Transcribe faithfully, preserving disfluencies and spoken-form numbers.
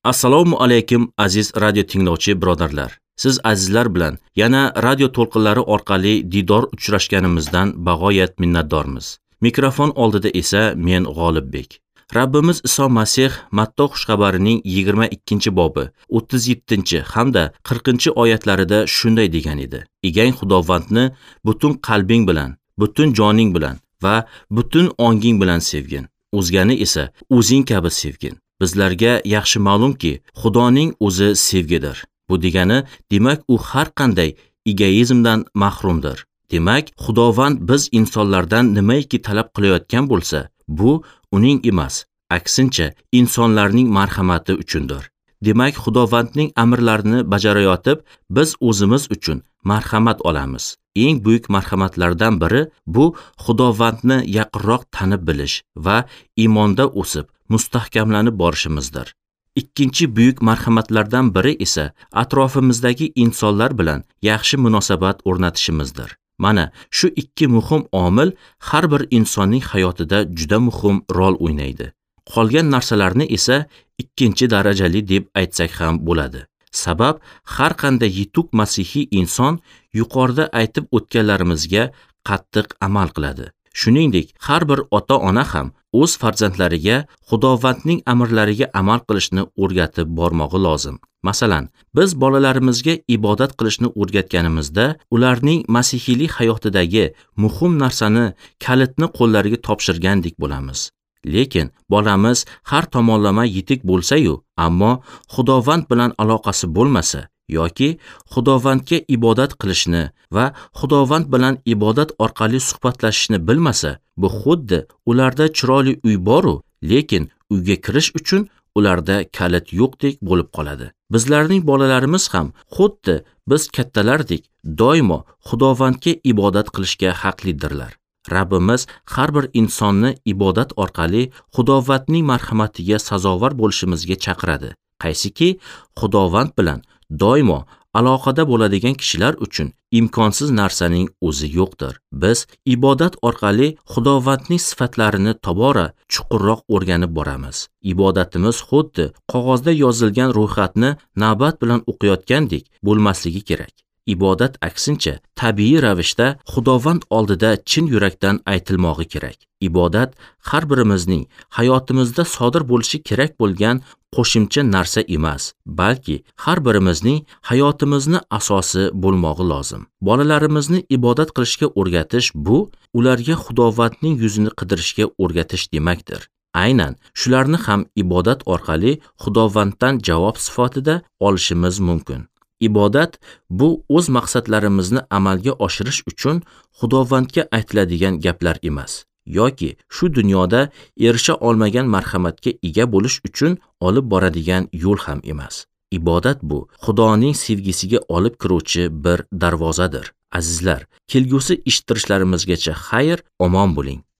Assalomu alaykum aziz radio tinglovchi birodarlar. Siz azizlar bilan yana radio to'lqinlari orqali diydor uchrashganimizdan bag'oyat minnatdormiz. Mikrofon oldida esa men G'olibbek. Rabbimiz Iso Masih Matto xushxabarining yigirma ikkinchi bobi o'ttiz yettinchi hamda qirqinchi oyatlarida shunday degan edi: Egang Xudovandni butun qalbing bilan, butun joning bilan va butun onging bilan sevgin. O'zgani esa o'zing kabi sevgin. Bizlarga yaxshi ma'lumki, Xudoning o'zi sevgidir. Bu degani, demak, u har qanday egoizmdan mahrumdir. Demak, Xudovand biz insonlardan nimaiki talab qilayotgan bo'lsa, bu uning emas, aksincha insonlarning marhamati uchundir. Demak, Xudovandning amrlarini bajarayotib, biz o'zimiz uchun marhamat olamiz. Eng buyuk marhamatlardan biri bu Xudovandni yaqinroq tanib bilish va iymonda o'sib, mustahkamlanib borishimizdir. Ikkinchi buyuk marhamatlardan biri esa atrofimizdagi insonlar bilan yaxshi munosabat o'rnatishimizdir. Mana shu ikki muhim omil har bir insonning hayotida juda muhim rol o'ynaydi. Qolgan narsalarni esa ikkinchi darajali deb aytsak ham bo'ladi. Sabab har qanday yetuk masihiy inson yuqorida aytib o'tganlarimizga qattiq amal qiladi. Shuningdek, har bir ota-ona ham o'z farzandlariga Xudovandning amrlariga amal qilishni o'rgatib bormog'i lozim. Masalan, biz bolalarimizga ibodat qilishni o'rgatganimizda, ularning masihiylik hayotidagi muhim narsani, kalitni qo'llariga topshirgandek bo'lamiz. Lekin bolamiz har tomonlama yetuk bo'lsa-yu, ammo Xudovand bilan aloqasi bo'lmasa yoki Xudovandga ibodat qilishni va Xudovand bilan ibodat orqali suhbatlashishni bilmasa, bu xuddi ularda chiroyli uy bor-u, lekin uyga kirish uchun ularda kalit yo'qdek bo'lib qoladi. Bizlarning bolalarimiz ham xuddi biz kattalardek doimo Xudovandga ibodat qilishga haqlidirlar. Rabbimiz har bir insonni ibodat orqali Xudovandning marhamatiga sazovor bo'lishimizga chaqiradi. Qaysiki Xudovand bilan doimo aloqada bo'ladigan kishilar uchun imkonsiz narsaning o'zi yo'qdir. Biz ibodat orqali Xudovandning sifatlarini tobora chuqurroq o'rganib boramiz. Ibodatimiz xuddi qog'ozda yozilgan ro'yxatni navbat bilan o'qiyotgandek bo'lmasligi kerak. Ibodat aksincha tabiiy ravishda Xudovand oldida chin yurakdan aytilmog'i kerak. Ibodat har birimizning hayotimizda sodir bo'lishi kerak bo'lgan qo'shimcha narsa emas, balki har birimizning hayotimizni asosi bo'lmog'i lozim. Bolalarimizni ibodat qilishga o'rgatish bu ularga Xudovandning yuzini qidirishga o'rgatish demakdir. Aynan shularni ham ibodat orqali Xudovanddan javob sifatida olishimiz mumkin. Ibodat bu o'z maqsadlarimizni amalga oshirish uchun Xudovandga aytiladigan gaplar emas, yoki shu dunyoda erisha olmagan marhamatga ega bo'lish uchun olib boradigan yo'l ham emas. Ibodat bu Xudoning sevgisiga olib kiruvchi bir darvozadir. Azizlar, kelgusi eshittirishlarimizgacha xayr, omon bo'ling.